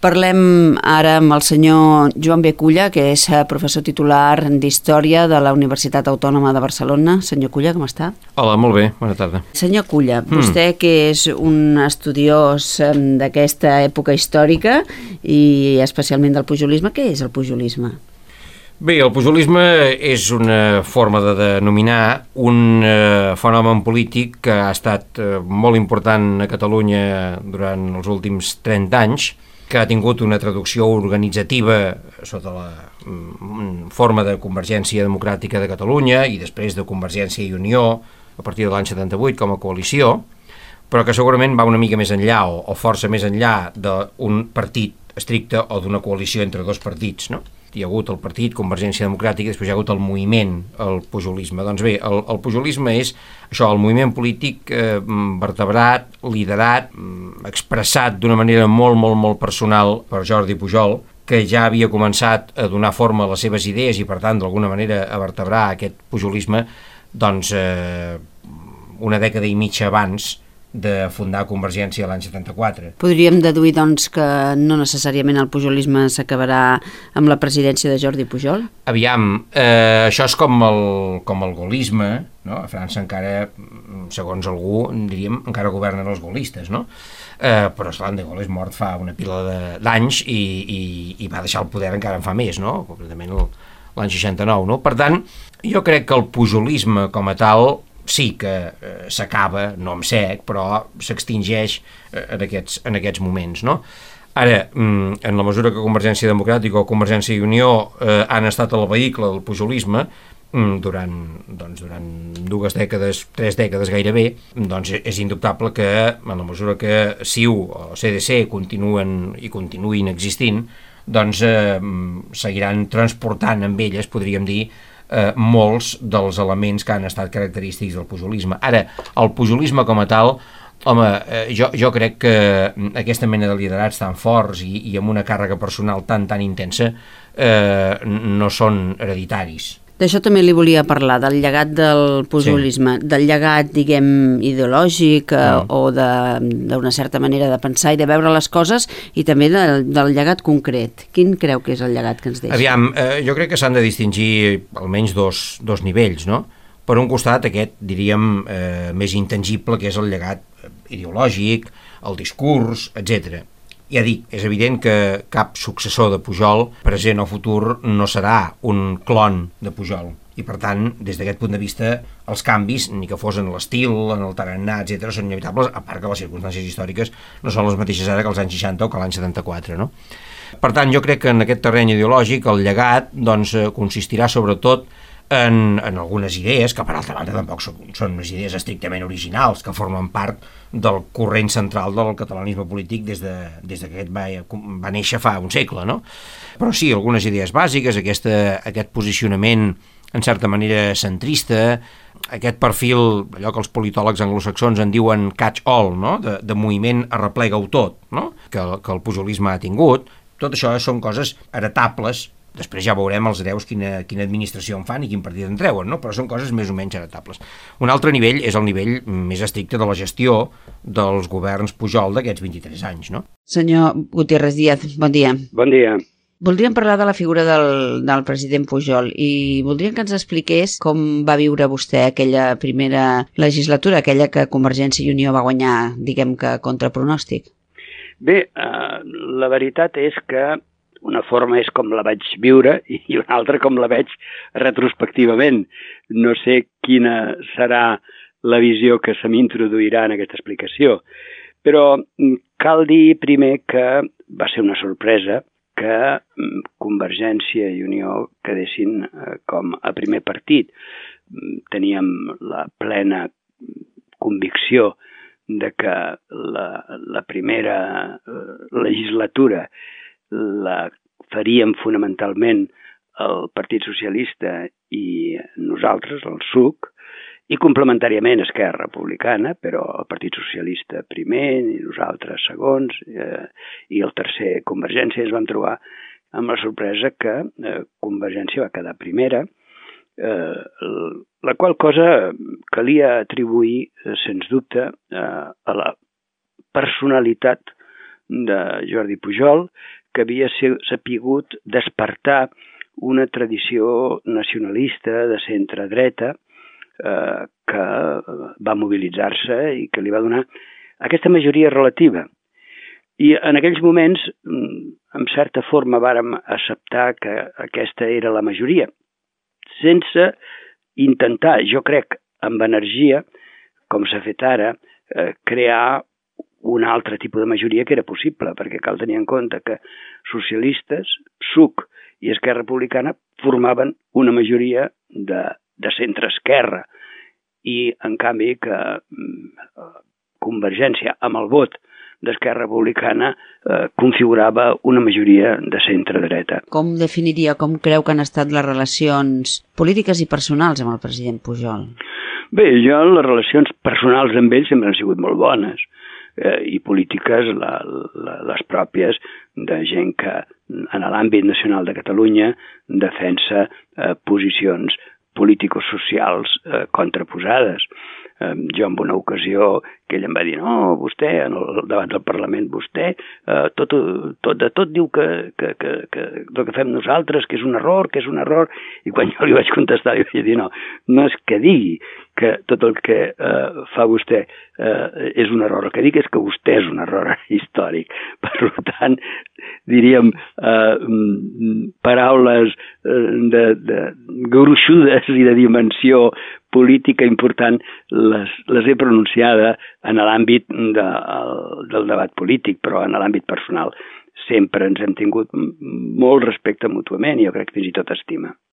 Parlem ara amb el senyor Joan B. Culla, que és professor titular d'Història de la Universitat Autònoma de Barcelona. Senyor Culla, com està? Hola, molt bé, bona tarda. Senyor Culla, vostè que és un estudiós d'aquesta època històrica i especialment del pujolisme, què és el pujolisme? Bé, el pujolisme és una forma de denominar un fenomen polític que ha estat molt important a Catalunya durant els últims 30 anys, que ha tingut una traducció organitzativa sota la forma de Convergència Democràtica de Catalunya i després de Convergència i Unió a partir de l'any 78 com a coalició, però que segurament va una mica més enllà o força més enllà d'un partit estricte o d'una coalició entre dos partits, no? Hi ha hagut el partit Convergència Democràtica i després hi ha hagut el moviment, el pujolisme. Doncs bé, el pujolisme és això, el moviment polític vertebrat, liderat, expressat d'una manera molt personal per Jordi Pujol, que ja havia començat a donar forma a les seves idees i per tant d'alguna manera a vertebrar aquest pujolisme doncs una dècada i mitja abans de fundar Convergència l'any 74. Podríem deduir, doncs, que no necessàriament el pujolisme s'acabarà amb la presidència de Jordi Pujol? Aviam, això és com el gaullisme, no? A França encara, segons algú, diríem, encara governen els gaullistes, no? Però esclar, de Gaulle és mort fa una pila d'anys i va deixar el poder encara en fa més, no? Concretament l'any 69, no? Per tant, jo crec que el pujolisme com a tal sí que s'acaba, no amb sec, però s'extingeix en aquests moments, no? Ara, en la mesura que Convergència Democràtica o Convergència i Unió han estat el vehicle del pujolisme durant 2 dècades, 3 dècades gairebé, doncs és indubtable que en la mesura que CiU o CDC continuïn existint, doncs seguiran transportant amb elles, podríem dir, molts dels elements que han estat característics del pujolisme. Ara, el pujolisme com a tal, home, jo crec que aquesta mena de liderats tan forts i amb una càrrega personal tan intensa no són hereditaris. D'això també li volia parlar, del llegat del pujolisme, sí. Del llegat, diguem, ideològic o d'una certa manera de pensar i de veure les coses i també del llegat concret. Quin creu que és el llegat que ens deixa? Aviam, jo crec que s'han de distingir almenys dos nivells, no? Per un costat, aquest, diríem, més intangible, que és el llegat ideològic, el discurs, etc. Ja dic, és evident que cap successor de Pujol, present o futur, no serà un clon de Pujol. I per tant, des d'aquest punt de vista, els canvis, ni que fos en l'estil, en el tarannà, etc., són inevitables, a part que les circumstàncies històriques no són les mateixes ara que els anys 60 o que l'any 74, no? Per tant, jo crec que en aquest terreny ideològic el llegat doncs, consistirà sobretot en algunes idees, que per altra banda tampoc són unes idees estrictament originals, que formen part del corrent central del catalanisme polític des que aquest va néixer fa un segle, no? Però sí, algunes idees bàsiques, aquest posicionament en certa manera centrista, aquest perfil, allò que els politòlegs anglosaxons en diuen catch-all, no? de moviment arreplega-ho tot, no? que el pujolisme ha tingut. Tot això són coses heretables. Després ja veurem els hereus quina administració en fan i quin partit en treuen, no? Però són coses més o menys heretables. Un altre nivell és el nivell més estricte de la gestió dels governs Pujol d'aquests 23 anys, no? Senyor Gutiérrez Díaz, bon dia. Bon dia. Voldríem parlar de la figura del president Pujol i voldríem que ens expliqués com va viure vostè aquella primera legislatura, aquella que Convergència i Unió va guanyar, diguem que contra pronòstic. Bé, la veritat és que una forma és com la vaig viure i una altra com la veig retrospectivament. No sé quina serà la visió que se m'introduirà en aquesta explicació, però cal dir primer que va ser una sorpresa que Convergència i Unió quedessin com a primer partit. Teníem la plena convicció de que la primera legislatura la faríem fonamentalment el Partit Socialista i nosaltres, el SUC, i complementàriament Esquerra Republicana, però el Partit Socialista primer, i nosaltres segons, i el tercer Convergència. Ens vam trobar amb la sorpresa que Convergència va quedar primera, la qual cosa calia atribuir, sens dubte, a la personalitat de Jordi Pujol, que havia sapigut despertar una tradició nacionalista de centre-dreta que va mobilitzar-se i que li va donar aquesta majoria relativa. I en aquells moments, en certa forma, vàrem acceptar que aquesta era la majoria, sense intentar, jo crec, amb energia, com s'ha fet ara, crear un altre tipus de majoria que era possible, perquè cal tenir en compte que socialistes, PSUC i Esquerra Republicana formaven una majoria de centre-esquerra i, en canvi, que Convergència, amb el vot d'Esquerra Republicana, configurava una majoria de centre-dreta. Com definiria, com creu que han estat les relacions polítiques i personals amb el president Pujol? Bé, jo les relacions personals amb ell sempre han sigut molt bones, i polítiques les pròpies de gent que en l'àmbit nacional de Catalunya defensa posicions político-socials contraposades. Jo en una ocasió que ell em va dir, no, vostè, davant del Parlament, vostè de tot diu que el que fem nosaltres, que és un error, i quan jo li vaig contestar, li vaig dir, no és que digui que tot el que fa vostè és un error, el que dic és que vostè és un error històric. Per tant, diríem, paraules gruixudes i de dimensió política important les he pronunciada en l'àmbit del debat polític, però en l'àmbit personal sempre ens hem tingut molt respecte mútuament i jo crec que fins i tot estima.